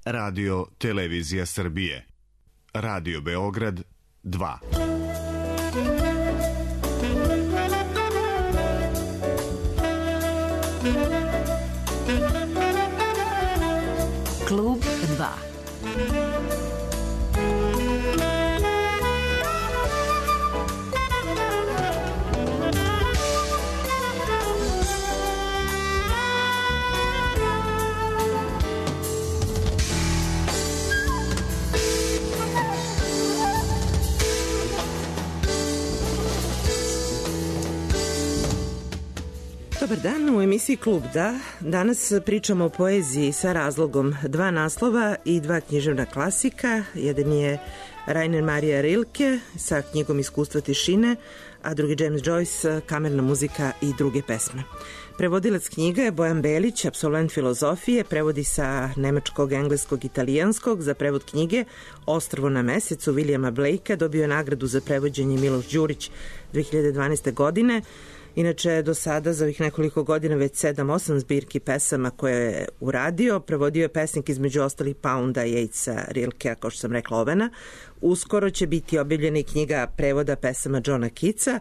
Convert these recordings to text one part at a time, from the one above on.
Radio Televizija Srbije. Radio Beograd 2. Klub 2. Dobar dan, u emisiji Klub Da. Danas pričamo o poeziji sa razlogom, 2 naslova i 2 književna klasika. Jedan je Rainer Maria Rilke sa knjigom Iskustva tišine, a drugi James Joyce, Kamerna muzika i druge pesme. Prevodilac knjiga je Bojan Belić, apsolvent filozofije, prevodi sa nemačkog, engleskog, italijanskog. Za prevod knjige Ostrvo na mesecu Williama Blakea dobio je nagradu za prevođenje Miloš Đurić 2012. godine. Inače, do sada, za ovih nekoliko godina, već 7-8 zbirki pesama koje je uradio. Prevodio je pesnik između ostalih Pounda, Yatesa, Rilkea, kao što sam rekla, Ovena. Uskoro će biti objavljena i knjiga prevoda pesama Johna Keatsa.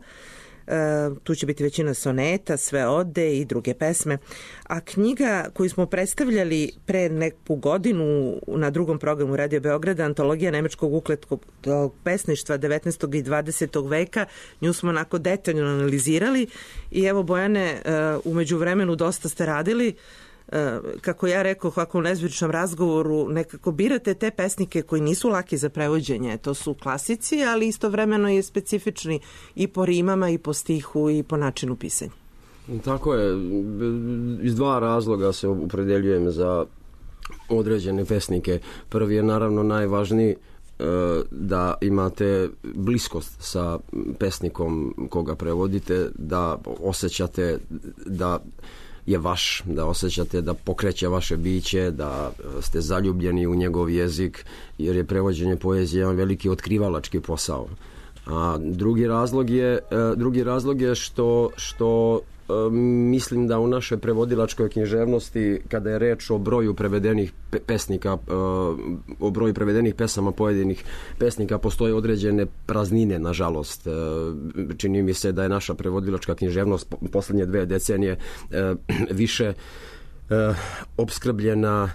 Tu će biti većina soneta, sve ode i druge pesme. A knjiga koju smo predstavljali pre neku godinu na drugom programu Radio Beograda, Antologija nemačkog ukletnog pesništva 19. i 20. veka, nju smo onako detaljno analizirali i evo, Bojane, umeđu vremenu dosta ste radili. Kako ja rekao, kako u nezvaničnom razgovoru, nekako birate te pesnike koji nisu laki za prevođenje. To su klasici, ali istovremeno je specifični i po rimama, i po stihu, i po načinu pisanja. Tako je. Iz 2 razloga se opredeljujem za određene pesnike. Prvi je naravno najvažniji, da imate bliskost sa pesnikom koga prevodite, da osjećate da je vaš, da osjećate da pokreće vaše biće, da ste zaljubljeni u njegov jezik, jer je prevođenje poezije jedan veliki otkrivalački posao. A drugi razlog je što mislim da u našoj prevodilačkoj književnosti, kada je reč o broju prevedenih pesnika, o broju prevedenih pesama pojedinih pesnika, postoje određene praznine, nažalost. Čini mi se da je naša prevodilačka književnost poslednje 2 decenije više opskrbljena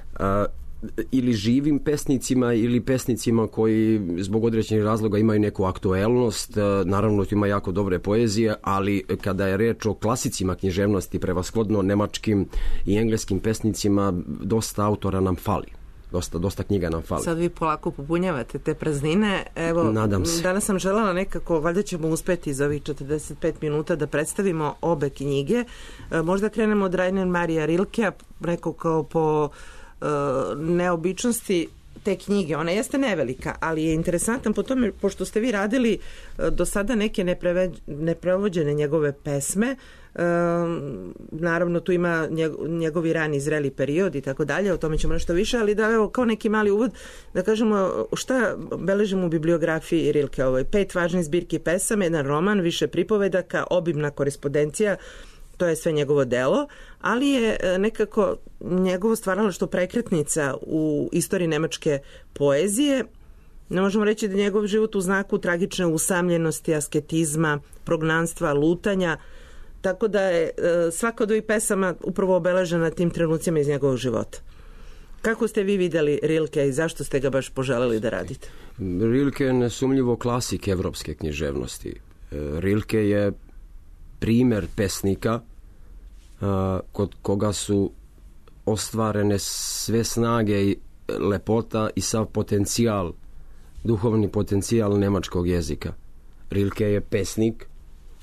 ili živim pesnicima ili pesnicima koji zbog određenih razloga imaju neku aktuelnost. Naravno, tu ima jako dobre poezije, ali kada je reč o klasicima književnosti, prevashodno nemačkim i engleskim pesnicima, dosta autora nam fali. Dosta knjiga nam fali. Sad vi polako popunjavate te praznine. Evo, nadam se. Danas sam želela nekako, valjda ćemo uspeti za ovih 45 minuta da predstavimo obe knjige. Možda krenemo od Rainer Maria Rilkea, neko kao po neobičnosti te knjige. Ona jeste nevelika, ali je interesantan po tome, pošto ste vi radili do sada neke neprevođene njegove pesme. Naravno, tu ima njegovi rani zreli period i tako dalje, o tome ćemo nešto više, ali da, evo, kao neki mali uvod, da kažemo šta beležimo u bibliografiji Rilkeovoj. 5 važnih zbirki pesama, 1 roman, više pripovedaka, obimna korespondencija. To je sve njegovo delo, ali je nekako njegovo stvaralaštvo prekretnica u istoriji nemačke poezije. Ne možemo reći da njegov život u znaku tragične usamljenosti, asketizma, prognanstva, lutanja, tako da je svaka od ovih pesama upravo obeležena tim trenucima iz njegovog života. Kako ste vi videli Rilke i zašto ste ga baš poželeli da radite? Rilke je nesumnjivo klasik evropske književnosti. Rilke je primer pesnika kod koga su ostvarene sve snage i lepota i sav potencijal, duhovni potencijal nemačkog jezika. Rilke je pesnik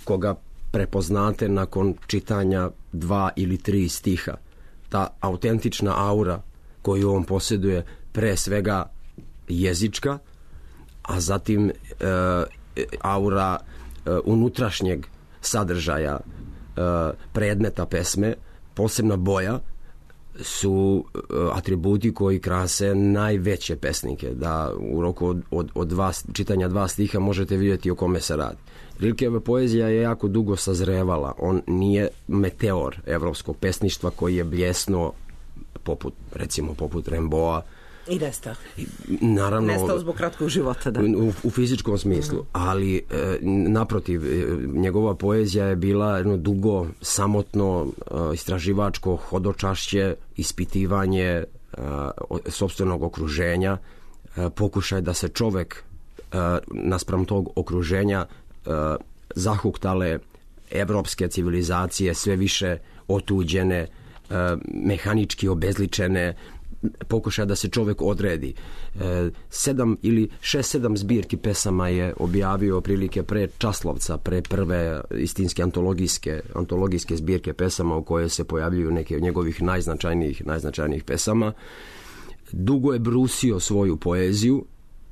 koga prepoznate nakon čitanja 2 ili 3 stiha. Ta autentična aura koju on posjeduje, pre svega jezička, a zatim aura unutrašnjeg sadržaja predmeta pesme, posebna boja, su atributi koji krase najveće pesnike, da u roku od čitanja 2 stiha možete vidjeti o kome se radi. Rilkeva poezija je jako dugo sazrevala, on nije meteor evropskog pesništva koji je bljesnuo poput Rimbaud'a I nestao. Naravno, nestao zbog kratkog života, da. U fizičkom smislu, ali naprotiv, njegova poezija je bila jedno dugo, samotno, istraživačko hodočašće, ispitivanje sopstvenog okruženja, pokušaj da se čovek naspram tog okruženja zahuktale evropske civilizacije, sve više otuđene, mehanički obezličene, pokušaj da se čovek odredi. 6-7 zbirki pesama je objavio prilike pre Časlovca, pre prve istinske antologijske zbirke pesama u koje se pojavljuju neke od njegovih najznačajnijih pesama. Dugo je brusio svoju poeziju,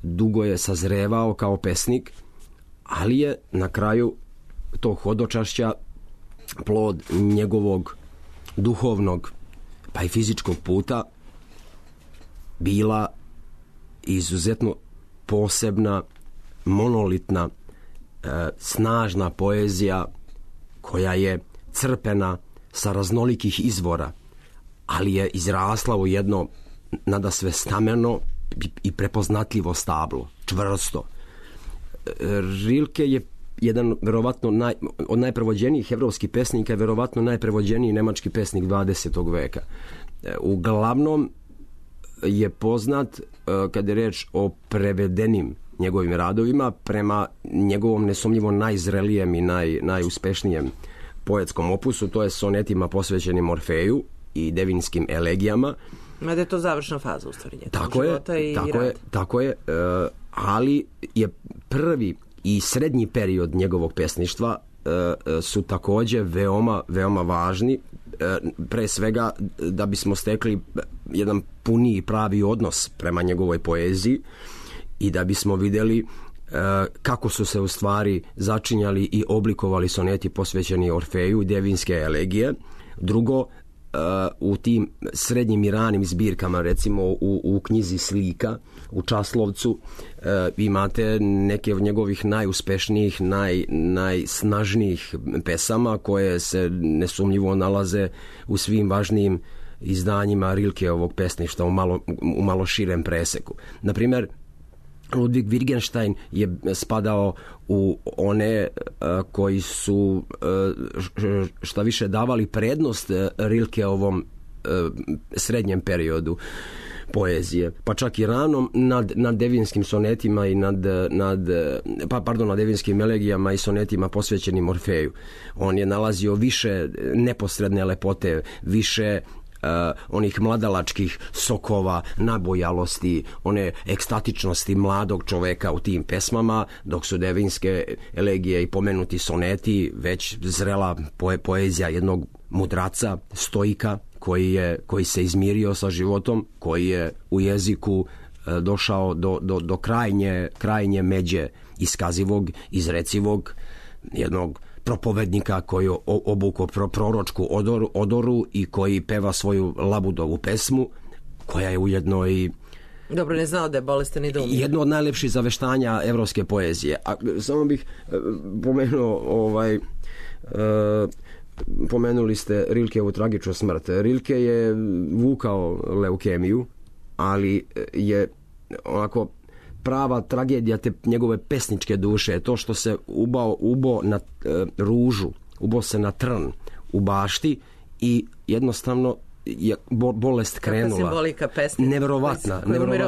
dugo je sazrevao kao pesnik, ali je na kraju tog hodočašća plod njegovog duhovnog pa i fizičkog puta bila izuzetno posebna, monolitna, snažna poezija koja je crpena sa raznolikih izvora, ali je izrasla u jedno nadasve stameno i prepoznatljivo stablo, čvrsto. Rilke je jedan verovatno od najprevođenijih evropskih pesnika, verovatno najprevođeniji nemački pesnik 20. veka. Uglavnom je poznat kada je reč o prevedenim njegovim radovima prema njegovom nesumnjivo najzrelijem i najuspešnijem poetskom opusu, to je sonetima posvećenim Orfeju i devinskim elegijama. Mada je to završna faza u stvari njegovog života i rada. Tako je, ali je prvi i srednji period njegovog pesništva su takođe veoma važni, pre svega da bismo stekli jedan puniji pravi odnos prema njegovoj poeziji i da bismo videli kako su se u stvari začinjali i oblikovali soneti posvećeni Orfeju i devinske elegije. Drugo, u tim srednjim i ranim zbirkama, recimo u knjizi Slika, u Časlovcu, imate neke od njegovih najuspešnijih, najsnažnijih pesama koje se nesumnjivo nalaze u svim važnijim izdanjima Rilkeovog pesništva u malo širem preseku. Naprimjer, Ludwig Wittgenstein je spadao u one koji su šta više davali prednost Rilkeovom srednjem periodu poezije, pa čak i ranom nad devinskim sonetima i nad devinskim elegijama i sonetima posvećenim Orfeju. On je nalazio više neposredne lepote, više onih mladalačkih sokova, nabojalosti, one ekstatičnosti mladog čoveka u tim pesmama, dok su devinske elegije i pomenuti soneti već zrela poezija jednog mudraca, stoika, koji se izmirio sa životom, koji je u jeziku došao do krajnje međe iskazivog, izrecivog, jednog propovednika koji obuko proročku odoru i koji peva svoju labudovu pesmu, koja je ujedno i dobro, ne znao da je bolestan i da umire. Jedno od najlepših zaveštanja evropske poezije. A samo bih pomenuo pomenuli ste Rilkeovu tragičnu smrt. Rilke je vukao leukemiju, ali je onako prava tragedija te njegove pesničke duše je to što se ubo na ružu, ubo se na trn u bašti i jednostavno je bolest krenula. Kakva simbolika pesnika. Neverovatna. Koji umire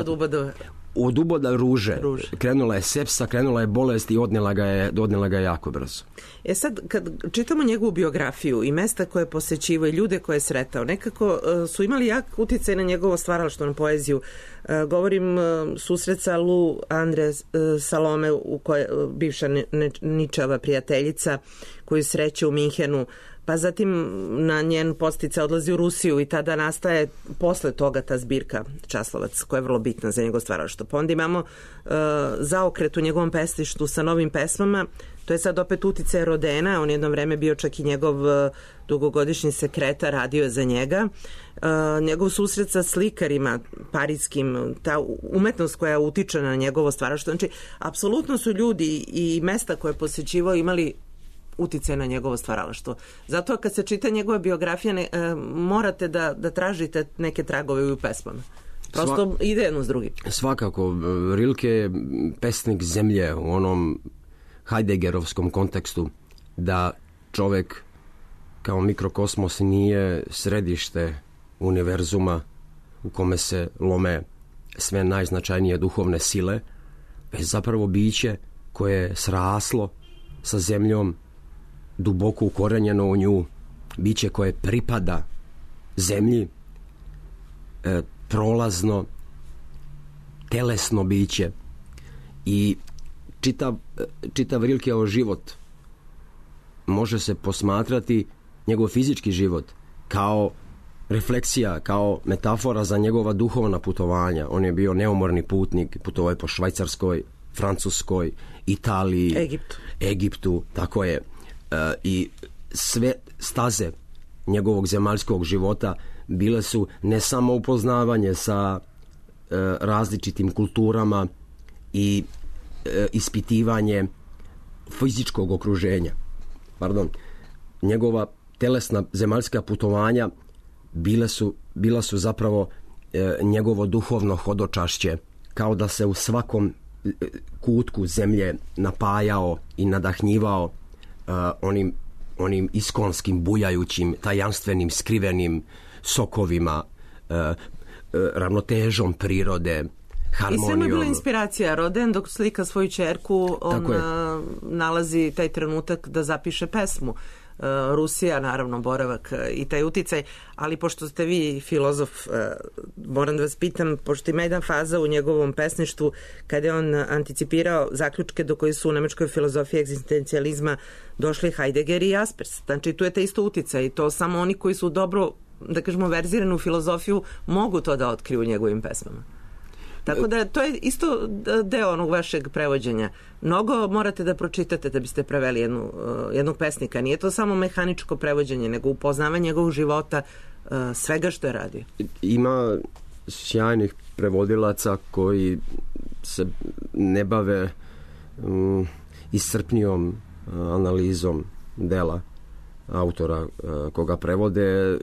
od uboda ruže. Krenula je sepsa, krenula je bolest i odnela ga je jako brzo. Sad, kad čitamo njegovu biografiju i mesta koje je posećivao i ljude koje je sretao, nekako su imali jak uticaj na njegovo stvaralaštvo, na poeziju. Govorim susret sa Lu Andre Salome, bivša Ničeva prijateljica, koju sreće u Minhenu, pa zatim na njen podsticaj odlazi u Rusiju i tada nastaje posle toga ta zbirka Časlovac, koja je vrlo bitna za njegov stvaralaštvo. Pa onda imamo zaokret u njegovom pesništvu sa novim pesmama. To je sad opet uticaj Rodena, on jedno vreme bio čak i njegov dugogodišnji sekretar, radio je za njega. Njegov susret sa slikarima parijskim, ta umetnost koja utiče na njegovo stvaralaštvo. Znači, apsolutno su ljudi i mesta koje je posećivao imali uticaj na njegovo stvaralaštvo. Zato kad se čita njegova biografija morate da tražite neke tragove u pesmama. Prosto ide jedno s drugim. Svakako, Rilke je pesnik zemlje u onom Heideggerovskom kontekstu, da čovjek kao mikrokosmos nije središte univerzuma u kome se lome sve najznačajnije duhovne sile, već zapravo biće koje je sraslo sa zemljom, duboko ukorenjeno u nju, biće koje pripada zemlji, prolazno, telesno biće. I čitav Rilkeov život može se posmatrati, njegov fizički život, kao refleksija, kao metafora za njegova duhovna putovanja. On je bio neumorni putnik, putovao je po Švajcarskoj, Francuskoj, Italiji, Egiptu, tako je. I sve staze njegovog zemaljskog života bile su ne samo upoznavanje sa različitim kulturama i ispitivanje fizičkog okruženja. Njegova telesna zemaljska putovanja bila su zapravo njegovo duhovno hodočašće, kao da se u svakom kutku zemlje napajao i nadahnjivao onim iskonskim, bujajućim, tajanstvenim, skrivenim sokovima, ravnotežom prirode, harmonijom. I sve mu je bila inspiracija. Roden dok slika svoju ćerku, on nalazi taj trenutak da zapiše pesmu. Rusija, naravno, boravak i taj uticaj, ali pošto ste vi filozof, moram da vas pitam, pošto ima jedna faza u njegovom pesništvu kada je on anticipirao zaključke do koji su u nemačkoj filozofiji egzistencijalizma došli Heidegger i Jaspers. Znači, tu je taj isto uticaj i to samo oni koji su dobro, da kažemo, verziranu filozofiju mogu to da otkriju u njegovim pesmama. Tako da to je isto deo onog vašeg prevođenja. Mnogo morate da pročitate da biste preveli jednog pesnika. Nije to samo mehaničko prevođenje, nego upoznavanje njegovog života, svega što je radio. Ima sjajnih prevodilaca koji se ne bave iscrpnijom analizom dela autora koga prevode,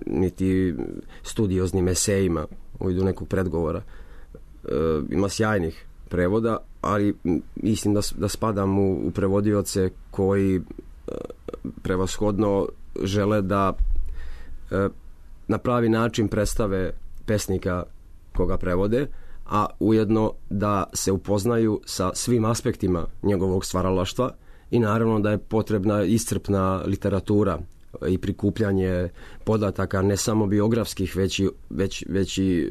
niti studioznim esejima u vidu nekog predgovora. Ima sjajnih prevoda, ali mislim da spadam u prevodioce koji prevashodno žele da na pravi način predstave pesnika koga prevode, a ujedno da se upoznaju sa svim aspektima njegovog stvaralaštva i naravno da je potrebna iscrpna literatura i prikupljanje podataka ne samo biografskih, već i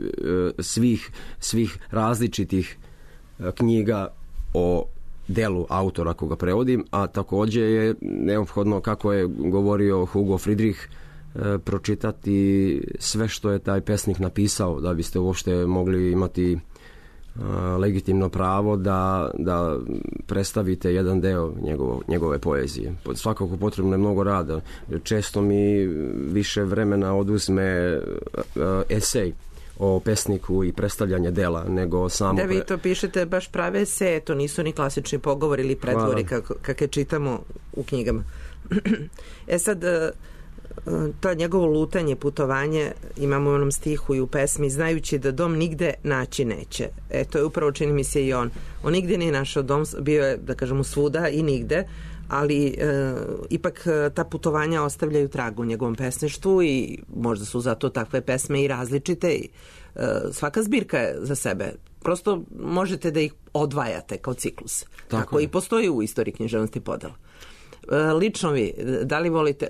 svih različitih knjiga o delu autora koga prevodim, a također je neophodno, kako je govorio Hugo Friedrich, pročitati sve što je taj pesnik napisao da biste uopšte mogli imati legitimno pravo da predstavite jedan deo njegove poezije. Svakako potrebno je mnogo rada. Često mi više vremena oduzme esej o pesniku i predstavljanje dela nego samo... Da, vi to pišete baš prave eseje, to nisu ni klasični pogovori ili pretvori kakve čitamo u knjigama. Sad, to njegovo lutanje, putovanje, imamo u onom stihu i u pesmi, znajući da dom nigde naći neće. To je upravo, čini mi se, i on. On nigde nije našao dom, bio je, da kažemo, svuda i nigde, ali ipak ta putovanja ostavljaju trag u njegovom pesništvu i možda su zato takve pesme i različite i svaka zbirka je za sebe. Prosto možete da ih odvajate kao ciklus. Tako i postoji u istoriji književnosti podela. Lično vi, da li volite,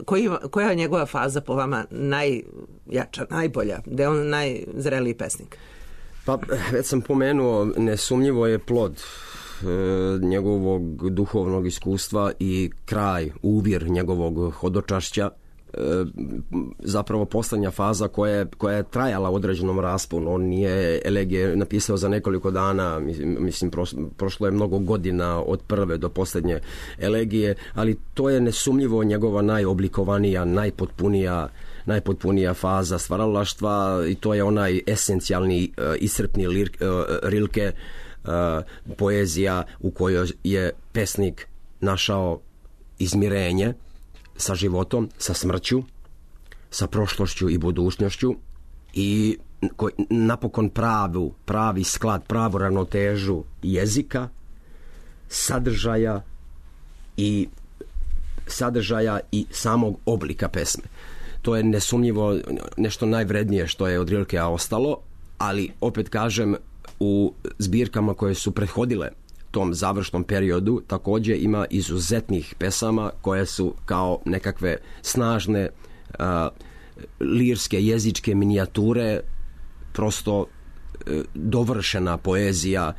koja je njegova faza po vama najjača, najbolja, da je on najzreliji pesnik? Pa, već sam pomenuo, nesumnjivo je plod njegovog duhovnog iskustva i kraj, uvir njegovog hodočašća, zapravo poslednja faza koja je trajala u određenom rasponu. On nije elegije napisao za nekoliko dana, mislim prošlo je mnogo godina od prve do posljednje elegije, ali to je nesumnjivo njegova najoblikovanija, najpotpunija faza stvaralaštva i to je onaj esencijalni, iscrpni Rilke, poezija u kojoj je pesnik našao izmirenje sa životom, sa smrću, sa prošlošću i budućnošću i napokon pravi sklad, pravu ravnotežu jezika, sadržaja i samog oblika pesme. To je nesumnjivo nešto najvrednije što je od Rilkea ostalo, ali opet kažem, u zbirkama koje su prethodile tom završnom periodu također ima izuzetnih pesama koje su kao nekakve snažne lirske jezičke minijature, prosto dovršena poezija,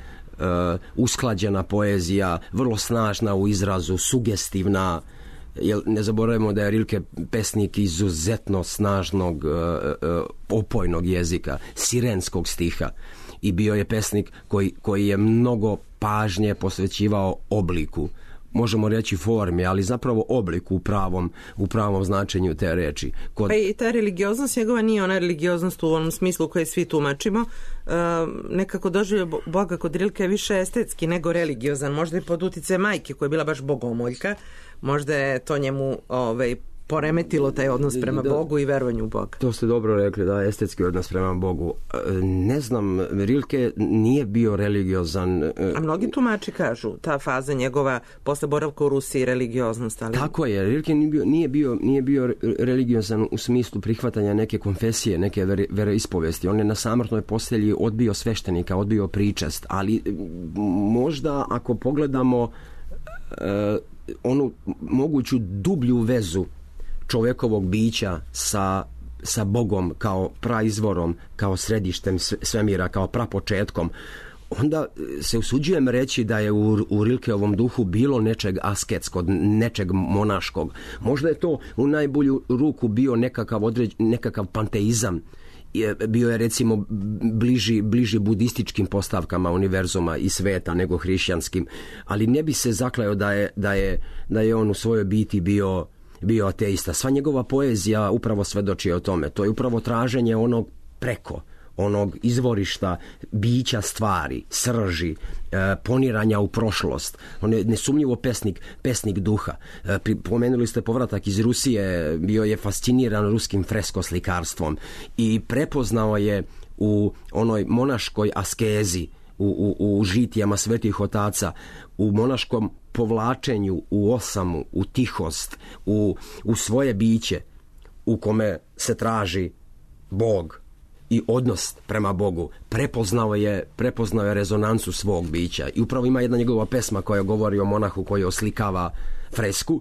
usklađena poezija, vrlo snažna u izrazu, sugestivna. Jer ne zaboravimo da je Rilke pesnik izuzetno snažnog opojnog jezika, sirenskog stiha, i bio je pesnik koji je mnogo pažnje posvećivao obliku, možemo reći formi, ali zapravo obliku u pravom značenju te reči. Pa i ta religioznost njegova nije ona religioznost u onom smislu koje svi tumačimo. Nekako doživio Boga kod Rilke je više estetski nego religiozan, možda i pod uticajem majke koja je bila baš bogomoljka, možda je to njemu poremetilo taj odnos prema Bogu i verovanju u Boga. To ste dobro rekli, da, estetski odnos prema Bogu. Ne znam, Rilke nije bio religiozan. A mnogi tumači kažu, ta faza njegova posle boravka u Rusiji, religioznost. Ali... Tako je, Rilke nije bio religiozan u smislu prihvatanja neke konfesije, neke veroispovesti. On je na samrtnoj postelji odbio sveštenika, odbio pričest, ali možda ako pogledamo onu moguću dublju vezu čovjekovog bića sa Bogom kao praizvorom, kao središtem svemira, kao prapočetkom, onda se usuđujem reći da je u Rilkeovom duhu bilo nečeg asketskog, nečeg monaškog. Možda je to u najbolju ruku bio nekakav panteizam. Bio je recimo bliži budističkim postavkama univerzuma i sveta nego hrišćanskim, ali ne bi se zakleo da je on u svojoj biti bio ateista. Sva njegova poezija upravo svedoči o tome. To je upravo traženje onog preko, onog izvorišta bića stvari, srži, poniranja u prošlost. On je nesumnjivo pesnik duha. Pomenuli ste povratak iz Rusije, bio je fasciniran ruskim freskoslikarstvom i prepoznao je u onoj monaškoj askezi, u žitijama svetih otaca, u monaškom povlačenju, u osamu, u tihost, u svoje biće u kome se traži Bog i odnos prema Bogu. Prepoznao je rezonancu svog bića i upravo ima jedna njegova pesma koja govori o monahu koji oslikava fresku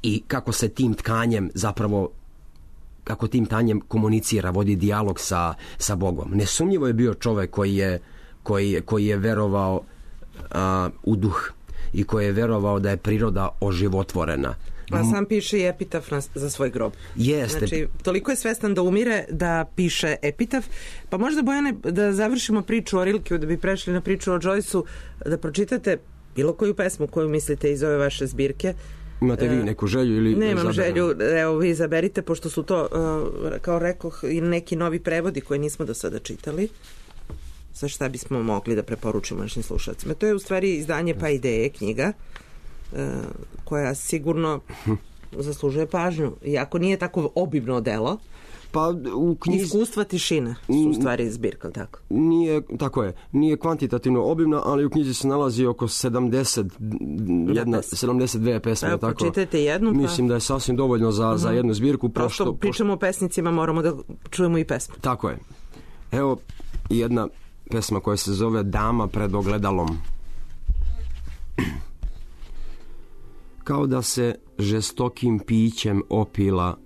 i kako se tim tkanjem komunicira, vodi dijalog sa Bogom. Nesumnjivo je bio čovjek koji je verovao u duh i koji je verovao da je priroda oživotvorena. A sam piše i epitaf za svoj grob. Jeste. Znači, toliko je svestan da umire da piše epitaf. Pa možda, Bojane, da završimo priču o Rilkeu, da bi prešli na priču o Joyceu, da pročitate bilo koju pesmu koju mislite iz ove vaše zbirke. Imate vi neku želju ili... Nemam želju, evo vi izaberite, pošto su to, kao rekoh, i neki novi prevodi koje nismo do sada čitali. Za šta bismo mogli da preporučimo našim slušalcima. To je u stvari izdanje Pa ideje, knjiga, koja sigurno zaslužuje pažnju. Iako nije tako obimno delo, pa u knjizi... Iskustva tišina su u stvari zbirka, tako? Nije kvantitativno obimna, ali u knjizi se nalazi oko 72 pesme. Pa pročitajte jednu. Mislim da je sasvim dovoljno za jednu zbirku. Pošto pričamo o pesnicima, moramo da čujemo i pesmu. Tako je. Evo jedna pesma koja se zove Dama pred ogledalom. Kao da se žestokim pićem opila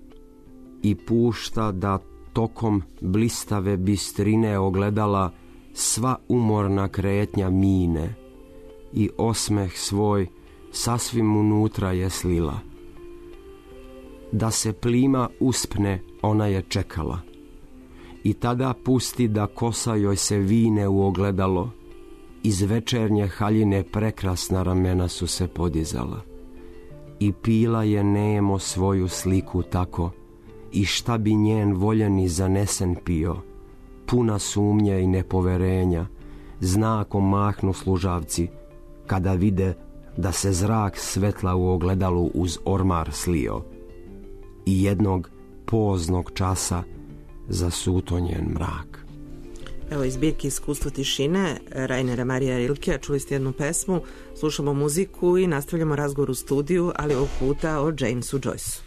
i pušta da tokom blistave bistrine ogledala sva umorna kretnja mine i osmeh svoj sasvim unutra je slila. Da se plima uspne ona je čekala i tada pusti da kosa joj se vine u ogledalo. Iz večernje haljine prekrasna ramena su se podizala i pila je nemo svoju sliku tako i šta bi njen voljeni zanesen pio, puna sumnje i nepoverenja, znakom mahnu služavci kada vide da se zrak svetla u ogledalu uz ormar slio i jednog poznog časa zasuto njen mrak. Evo iz zbirke Iskustvo tišine Rainera Marija Rilkea, čuli ste jednu pesmu, slušamo muziku i nastavljamo razgovor u studiju, ali ovog puta o Jamesu Joyceu.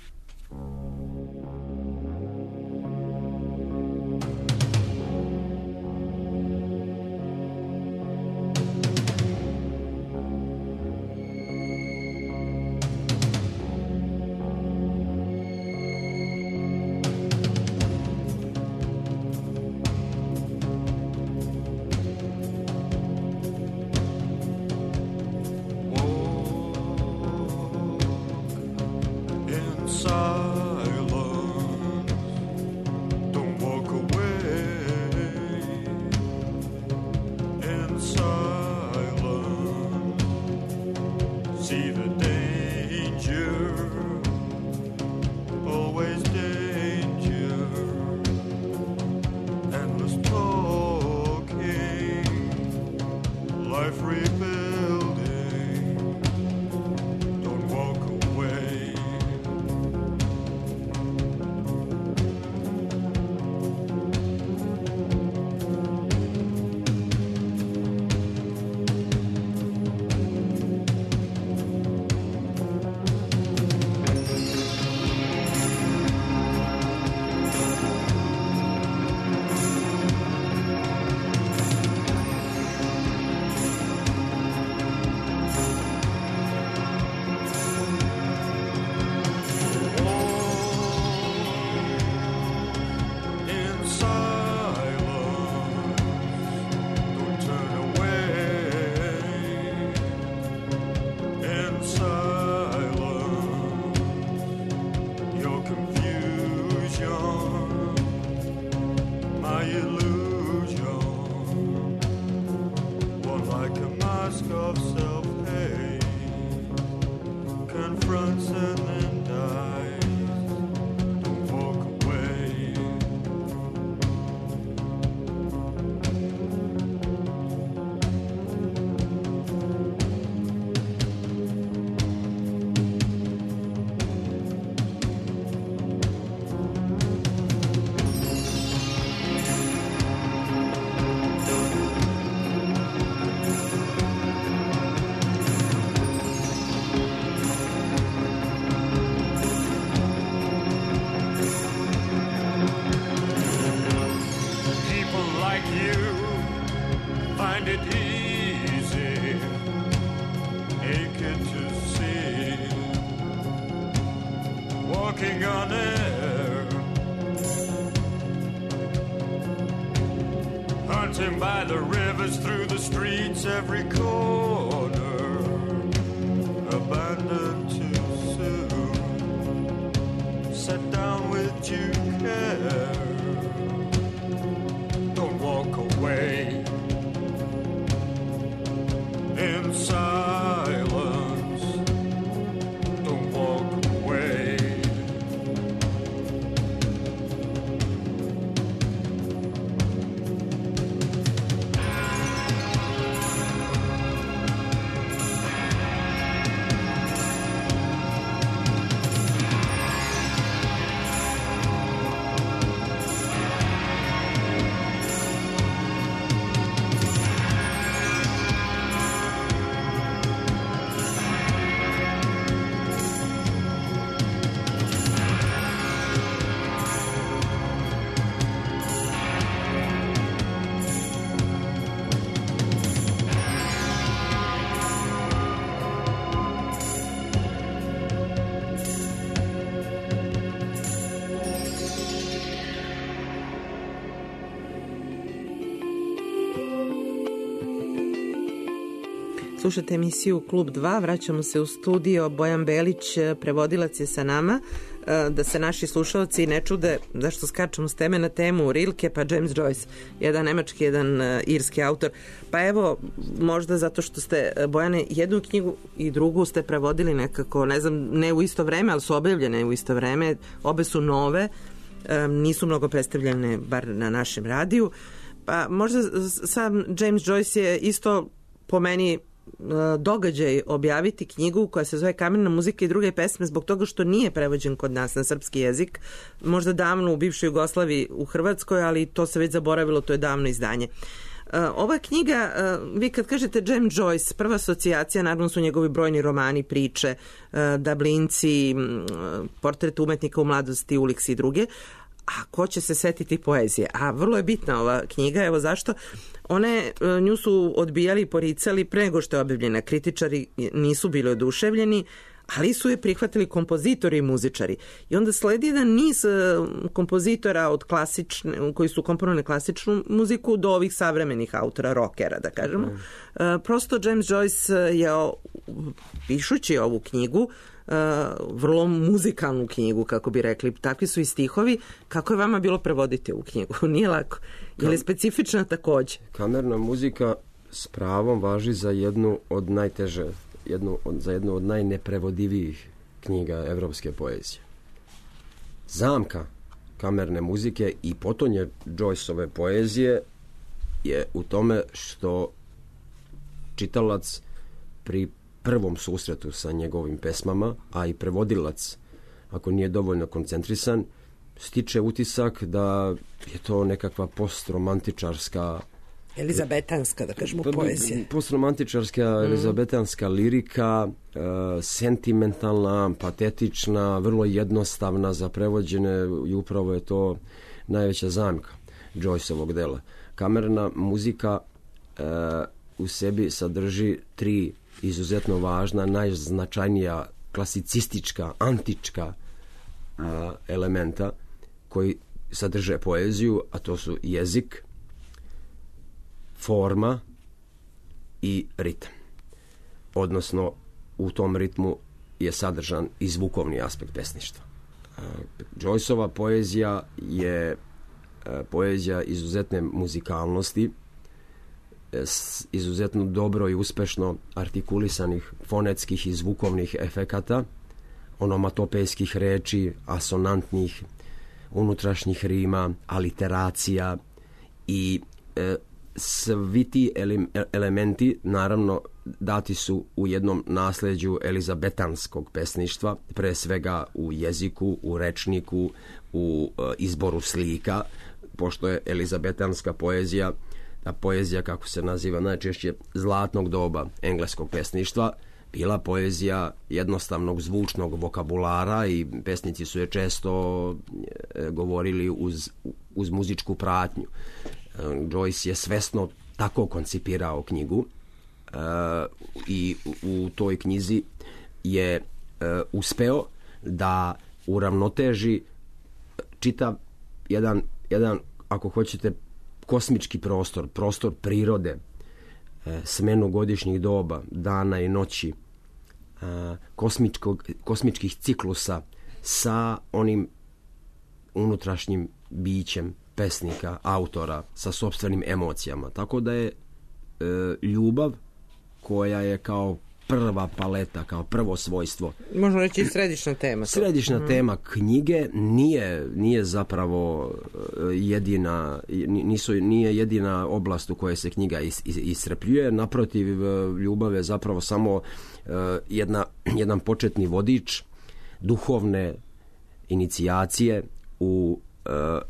By the rivers, through the streets, every corner, abandoned too soon, sat down with due care. Don't walk away in silence. Don't walk away. Slušate emisiju Klub 2, vraćamo se u studio, Bojan Belić, prevodilac je sa nama, da se naši slušalci ne čude zašto skačemo s teme na temu Rilke pa James Joyce, jedan nemački, jedan irski autor. Pa evo, možda zato što ste, Bojane, jednu knjigu i drugu ste prevodili nekako, ne znam, ne u isto vreme, ali su objavljene u isto vreme, obe su nove, nisu mnogo predstavljene, bar na našem radiju. Pa možda sam James Joyce je isto po meni događaj objaviti knjigu koja se zove Kamerna muzika i druge pesme zbog toga što nije prevođen kod nas na srpski jezik, možda davno u bivšoj Jugoslaviji u Hrvatskoj, ali to se već zaboravilo, to je davno izdanje. Ova knjiga, vi kad kažete James Joyce, prva asocijacija, naravno su njegovi brojni romani, priče, Dablinci, Portret umetnika u mladosti, Ulix i druge, a ko će se setiti poezije? A vrlo je bitna ova knjiga, evo zašto. Nju su odbijali i poricali pre nego što je objavljena. Kritičari nisu bili oduševljeni, ali su je prihvatili kompozitori i muzičari. I onda sledi jedan niz kompozitora od koji su komponovali klasičnu muziku do ovih savremenih autora, rockera, da kažemo. Prosto James Joyce je, pišući ovu knjigu, vrlo muzikalnu knjigu, kako bi rekli, takvi su i stihovi. Kako je vama bilo prevoditi ovu knjigu? Nije lako. Je li specifična takođe? Kamerna muzika s pravom važi za jednu od za jednu od najneprevodivijih knjiga evropske poezije. Zamka kamerne muzike i potonje Joyceove poezije je u tome što čitalac pri prvom susretu sa njegovim pesmama, a i prevodilac, ako nije dovoljno koncentrisan, stiče utisak da je to nekakva postromantičarska elizabetanska, da kažemo, poezija. Postromantičarska elizabetanska lirika, sentimentalna, patetična, vrlo jednostavna za prevođene i upravo je to najveća zamka Joyceovog dela. Kamerna muzika u sebi sadrži 3 izuzetno važna, najznačajnija klasicistička, antička elementa koji sadrže poeziju, a to su jezik, forma i ritam. Odnosno, u tom ritmu je sadržan i zvukovni aspekt pesništva. Joyceova poezija je poezija izuzetne muzikalnosti, izuzetno dobro i uspešno artikulisanih fonetskih i zvukovnih efekata, onomatopejskih reči, asonantnih, unutrašnjih rima, aliteracija i svi ti elementi naravno dati su u jednom nasleđu elizabetanskog pesništva, pre svega u jeziku, u rečniku, u izboru slika, pošto je elizabetanska poezija, ta poezija, kako se naziva najčešće, zlatnog doba engleskog pesništva, bila poezija jednostavnog zvučnog vokabulara i pesnici su je često govorili uz muzičku pratnju. Joyce je svesno tako koncipirao knjigu i u toj knjizi je uspeo da uravnoteži čitav jedan, ako hoćete, kosmički prostor prirode, smenu godišnjih doba, dana i noći, kosmičkih ciklusa sa onim unutrašnjim bićem pesnika, autora, sa sopstvenim emocijama. Tako da je ljubav, koja je kao prva paleta, kao prvo svojstvo. Možemo reći i središnja tema. Središnja tema knjige nije zapravo nije jedina oblast u kojoj se knjiga iscrpljuje. Naprotiv, ljubav je zapravo samo jedan početni vodič duhovne inicijacije u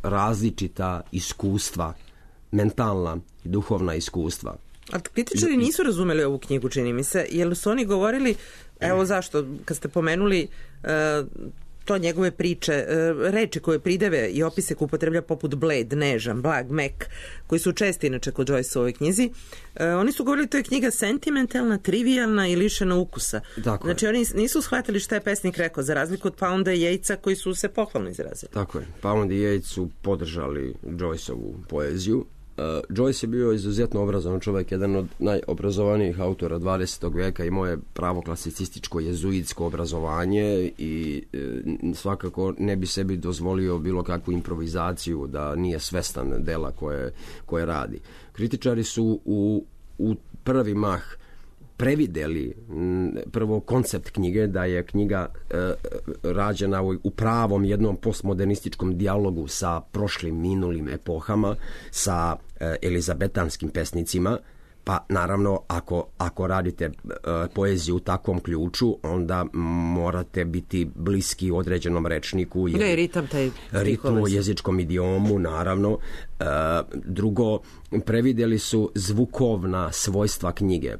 različita iskustva, mentalna i duhovna iskustva. A kritičari nisu razumeli ovu knjigu, čini mi se, jer su oni govorili, evo zašto, kad ste pomenuli to njegove priče, reči koje prideve i opise koje upotreblja poput bled, nežan, blag, mek, koji su česti inače kod Joyce u ovoj knjizi, oni su govorili to je knjiga sentimentalna, trivialna i lišena ukusa. Tako znači je. Oni nisu shvatili šta je pesnik rekao, za razliku od Pounda i Yatesa koji su se pohvalno izrazili. Tako je. Pound i Yates su podržali Joyceovu poeziju. Joyce je bio izuzetno obrazovan čovjek, jedan od najobrazovanijih autora 20. veka, imao je pravo klasicističko jezuitsko obrazovanje i svakako ne bi sebi dozvolio bilo kakvu improvizaciju, da nije svestan dela koje radi. Kritičari su u prvi mah prevideli prvo koncept knjige, da je knjiga rađena u pravom jednom postmodernističkom dijalogu sa prošlim, minulim epohama, sa elizabetanskim pesnicima, Pa naravno, ako radite poeziju u takvom ključu, onda morate biti bliski određenom rečniku. I ritam taj ritmu, jezičkom idiomu, naravno. Drugo, previdjeli su zvukovna svojstva knjige,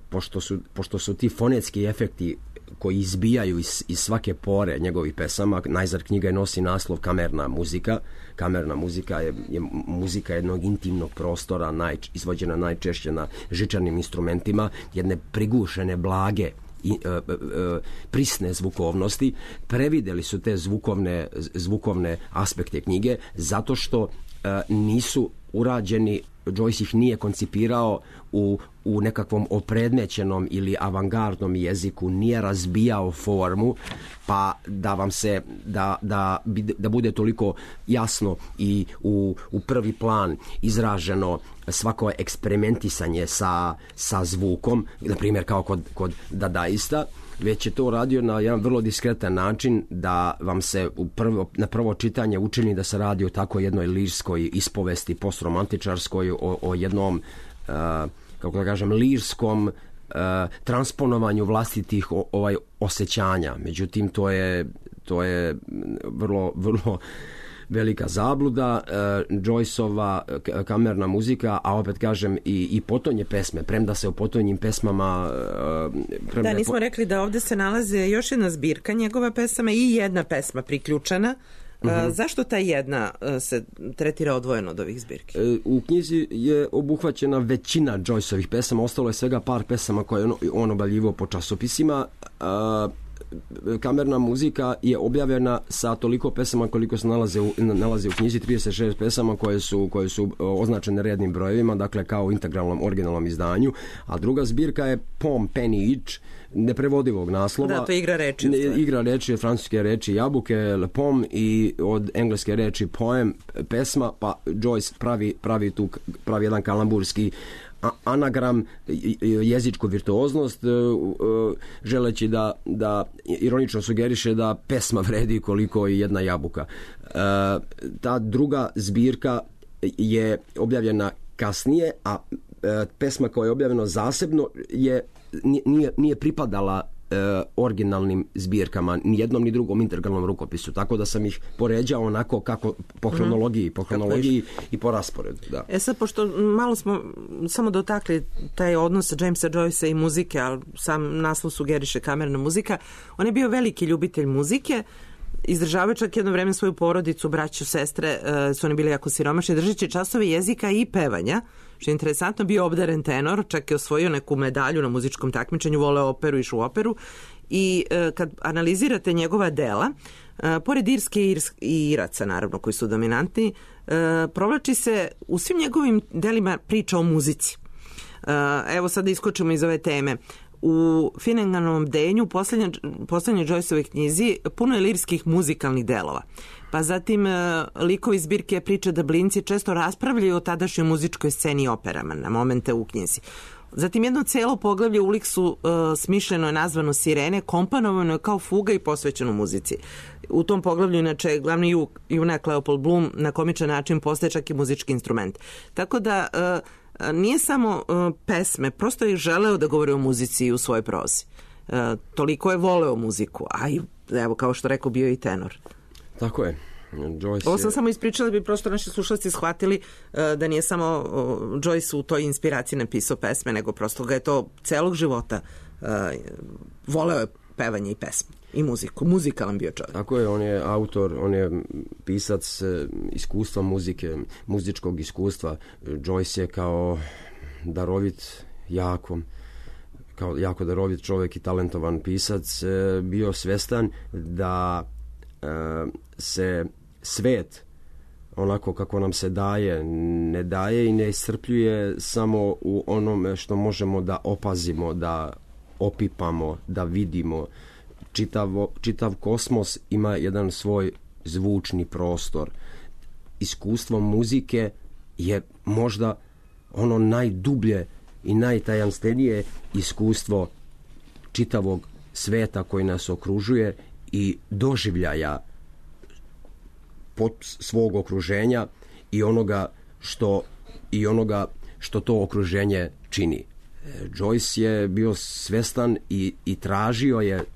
pošto su ti fonetski efekti koji izbijaju iz svake pore njegovih pesama. Najzad knjiga nosi naslov Kamerna muzika. Kamerna muzika je muzika jednog intimnog prostora, izvođena najčešće na žičanim instrumentima, jedne prigušene, blage, prisne zvukovnosti. Previdjeli su te zvukovne aspekte knjige zato što nisu urađeni, Joyce ih nije koncipirao u nekakvom opredmećenom ili avangardnom jeziku, nije razbijao formu, pa da vam se da bude toliko jasno i u prvi plan izraženo svako eksperimentisanje sa zvukom, na primjer kao kod dadaista, već je to radio na jedan vrlo diskretan način da vam se na prvo čitanje učini da se radi o tako jednoj lirskoj ispovesti postromantičarskoj, o jednom kako da kažem lirskom transponovanju vlastitih osjećanja. Međutim, to je vrlo, vrlo velika zabluda. Joyceova kamerna muzika, a opet kažem i potonje pesme, premda se o potonjim pesmama... Da, nismo rekli da ovdje se nalaze još jedna zbirka njegova pesama i jedna pesma priključena. Zašto ta jedna se tretira odvojeno od ovih zbirki? U knjizi je obuhvaćena većina Joyceovih pesama, ostalo je svega par pesama koje on objavljivao po časopisima. Kamerna muzika je objavljena sa toliko pesama koliko se nalaze u knjizi, 36 pesama koje su označene rednim brojevima, dakle kao u integralnom originalnom izdanju, a druga zbirka je Poem Penny Each, neprevodivog naslova. Da, to je igra reči. Igra reči, francuske reči jabuke, le poem, i od engleske reči poem, pesma, pa Joyce pravi jedan kalamburski anagram, jezičku virtuoznost, želeći da ironično sugeriše da pesma vredi koliko i jedna jabuka. Ta druga zbirka je objavljena kasnije, a pesma koja je objavljena zasebno nije pripadala originalnim zbirkama, ni jednom ni drugom integralnom rukopisu, tako da sam ih poređao onako kako po hronologiji i po rasporedu. Da. Sad, pošto malo smo samo dotakli taj odnos Jamesa Joycea i muzike, ali sam naslov sugeriše kamerna muzika, on je bio veliki ljubitelj muzike, izdržavao čak jedno vreme svoju porodicu, braću, sestre, su oni bili jako siromašni, držeći časove jezika i pevanja, što je interesantno, bio obdaren tenor, čak je osvojio neku medalju na muzičkom takmičenju, voleo operu, išao u operu, i kad analizirate njegova dela, pored Irske i Iraca, naravno, koji su dominantni, provlači se u svim njegovim delima priča o muzici. Evo sad da iskočimo iz ove teme. U Finneganovom bdenju, poslednjoj Joyceovoj knjizi, puno je lirskih muzikalnih delova. Pa zatim likovi zbirke Priče Dublinci često raspravljaju o tadašnjoj muzičkoj sceni i operama na momente u knjizi. Zatim jedno celo poglavlje u Uliksu smišljeno je nazvano Sirene, komponovano je kao fuga i posvećeno muzici. U tom poglavlju inače glavni junak Leopold Bloom na komičan način postaje čak i muzički instrument. Tako da nije samo pesme, prosto je želeo da govori o muzici u svojoj prozi. Toliko je voleo muziku, a i, evo, kao što rekao, bio i tenor. Tako je. Ovo sam samo ispričala da bi prosto naši slušalci shvatili da nije samo Joyce u toj inspiraciji napisao pesme, nego prosto ga je to celog života voleo je pevanje i pesme i muziku. Muzikalan bio čovjek. Tako je, on je autor, on je pisac iskustva muzike, muzičkog iskustva. Joyce je kao darovit, jako darovit čovjek i talentovan pisac bio svestan da se svet onako kako nam se daje, ne daje i ne iscrpljuje samo u onome što možemo da opazimo, da opipamo, da vidimo. Čitav kosmos ima jedan svoj zvučni prostor. Iskustvo muzike je možda ono najdublje i najtajanstvenije iskustvo čitavog sveta koji nas okružuje i doživljaja svog okruženja i onoga što to okruženje čini. Joyce je bio svestan i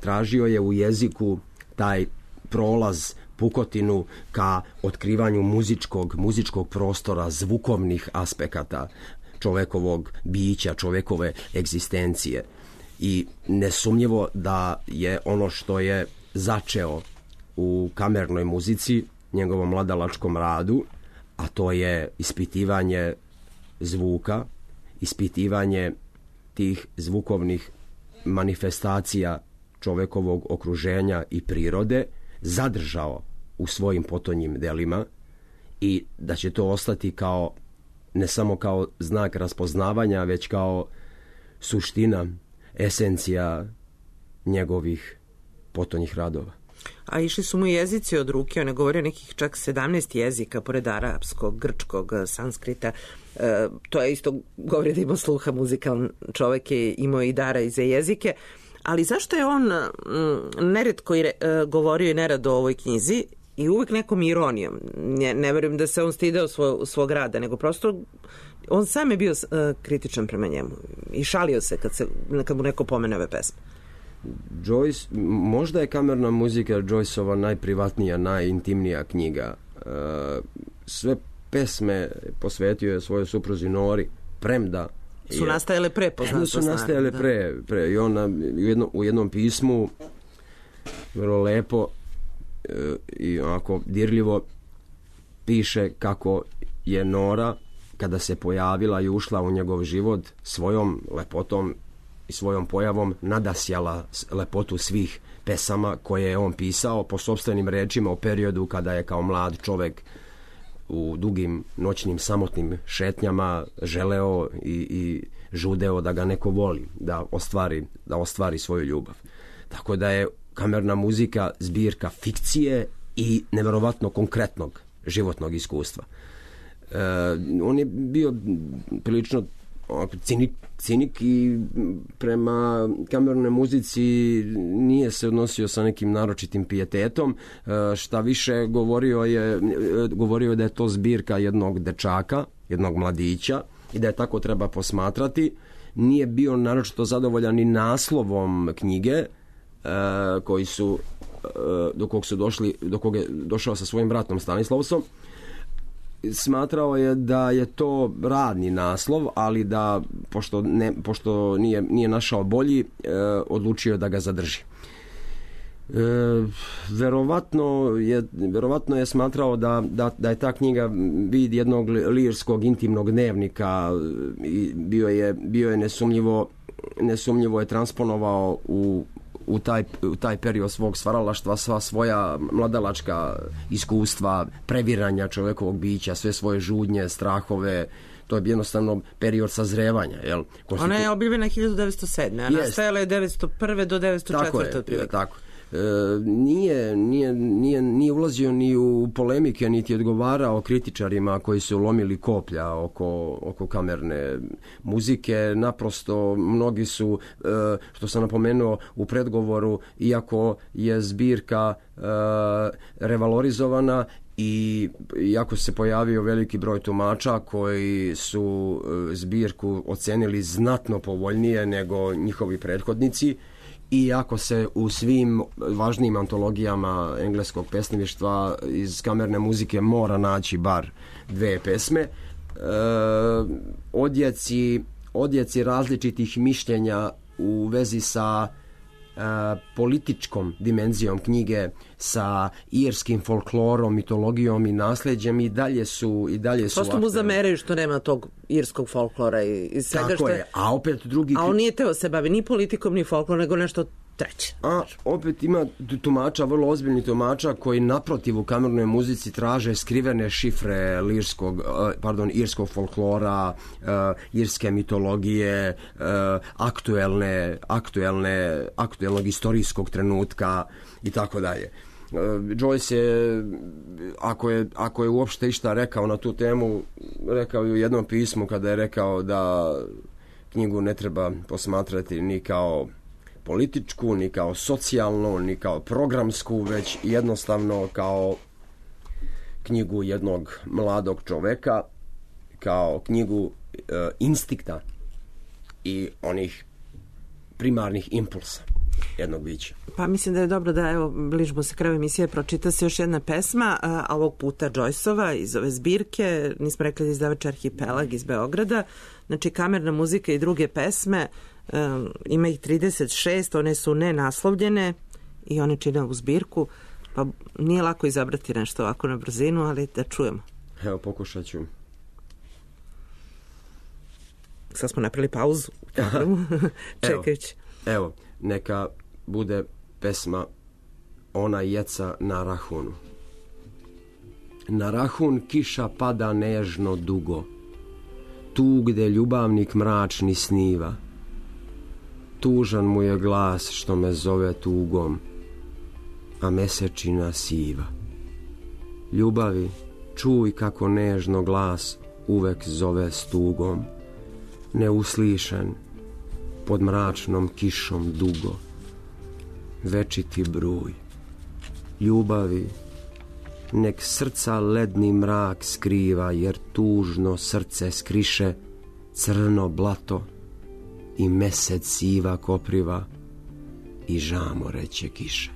tražio je u jeziku taj prolaz, pukotinu ka otkrivanju muzičkog prostora, zvukovnih aspekata čovekovog bića, čovekove egzistencije. I nesumnjivo da je ono što je začeo u kamernoj muzici, njegovom mladalačkom radu, a to je ispitivanje zvuka, ispitivanje tih zvukovnih manifestacija čovekovog okruženja i prirode, zadržao u svojim potonjim delima i da će to ostati kao, ne samo kao znak raspoznavanja, već kao suština, esencija njegovih potonjih radova. A išli su mu jezici od ruke, on je govorio nekih čak 17 jezika, pored arapskog, grčkog, sanskrita. To je isto, govori da ima sluha, muzikalan čovek je imao i dara i za jezike. Ali zašto je on neretko govorio i nerado o ovoj knjizi i uvek nekom ironijom? Ne verujem da se on stideo svog rada, nego prosto on sam je bio kritičan prema njemu i šalio se kad mu neko pomene ove pesme. Joyce, možda je kamerna muzika Joyceova najprivatnija, najintimnija knjiga. Sve pesme posvetio je svojoj supruzi Nori, premda su nastajale pre, poznato su nastajale pre. I ona u jednom pismu vrlo lepo i onako dirljivo piše kako je Nora, kada se pojavila i ušla u njegov život, svojom lepotom i svojom pojavom nadasjala lepotu svih pesama koje je on pisao po sopstvenim rečima u periodu kada je kao mlad čovek u dugim noćnim samotnim šetnjama želeo i žudeo da ga neko voli, da ostvari svoju ljubav. Tako da je kamerna muzika zbirka fikcije i neverovatno konkretnog životnog iskustva. On je bio prilično cinik i prema kamernoj muzici nije se odnosio sa nekim naročitim pijetetom. Šta više, govorio je da je to zbirka jednog dečaka, jednog mladića i da je tako treba posmatrati. Nije bio naročito zadovoljan ni naslovom knjige do kog je došao sa svojim bratom Stanislavsom. Smatrao je da je to radni naslov, ali da pošto nije našao bolji, odlučio da ga zadrži. Verovatno je smatrao da je ta knjiga vid jednog lirskog intimnog dnevnika i bio je nesumnjivo je transponovao u taj period svog stvaralaštva sva svoja mladalačka iskustva, previranja čovekovog bića, sve svoje žudnje, strahove. To je jednostavno period sazrevanja. Ona je objavljena 1907. A nastajala je 1901. do 1904. Tako. Nije ulazio ni u polemike, niti odgovarao kritičarima koji su lomili koplja oko kamerne muzike. Naprosto mnogi su, što sam napomenuo u predgovoru, iako je zbirka revalorizovana i iako se pojavio veliki broj tumača koji su zbirku ocenili znatno povoljnije nego njihovi prethodnici, iako se u svim važnijim antologijama engleskog pesništva iz kamerne muzike mora naći bar 2 pesme, odjeci različitih mišljenja u vezi sa političkom dimenzijom knjige, sa irskim folklorom, mitologijom i nasleđem i dalje su prosto mu zameraju što nema tog irskog folklora i svega tako što je. A opet drugi... A on nije teo se bavi ni politikom ni folklorom, nego nešto treće. A opet ima tumača, vrlo ozbiljni tumača koji naprotiv u kamernoj muzici traže skrivene šifre irskog folklora, irske mitologije, aktuelnog istorijskog trenutka i tako dalje. Joyce je, ako je uopšte išta rekao na tu temu, rekao je u jednom pismu kada je rekao da knjigu ne treba posmatrati ni kao političku, ni kao socijalnu, ni kao programsku, već jednostavno kao knjigu jednog mladog čoveka, kao knjigu instinkta i onih primarnih impulsa jednog bića. Pa mislim da je dobro da, evo, bližimo se kraju emisije, pročita se još jedna pesma, a ovog puta Joyceova iz ove zbirke, nismo rekli da izdavač Arhipelag iz Beograda, znači kamerna muzika i druge pesme, ima ih 36, one su nenaslovljene i one čine ovu zbirku, pa nije lako izabrati nešto ovako na brzinu, ali da čujemo. Evo, pokušat ću. Sad smo napravili pauzu čekajući. Evo, neka bude pesma Ona jeca na rahunu. Na rahun kiša pada nežno dugo, tu gde ljubavnik mračni sniva. Tužan mu je glas što me zove tugom, a mesečina siva. Ljubavi, čuj kako nežno glas uvek zove s tugom, neuslišen, pod mračnom kišom dugo. Večiti bruj. Ljubavi, nek srca ledni mrak skriva, jer tužno srce skriše crno blato i mesec siva kopriva i žamoreće kiše.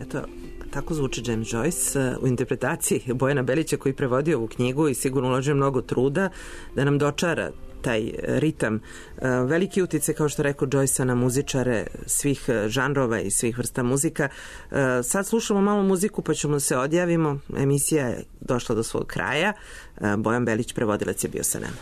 Eto, tako zvuči James Joyce u interpretaciji Bojana Belića, koji prevodio ovu knjigu i sigurno uložio mnogo truda da nam dočara taj ritam. Veliki utice, kao što rekao, Joyce na muzičare svih žanrova i svih vrsta muzika. Sad slušamo malo muziku pa ćemo se odjavimo. Emisija je došla do svog kraja. Bojan Belić, prevodilac, je bio sa nama.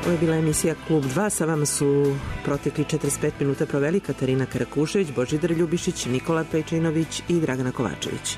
Ovo je bila emisija Klub 2. Sa vama su protekli 45 minuta proveli Katarina Karakušević, Božidar Ljubišić, Nikola Pejčinović i Dragana Kovačević.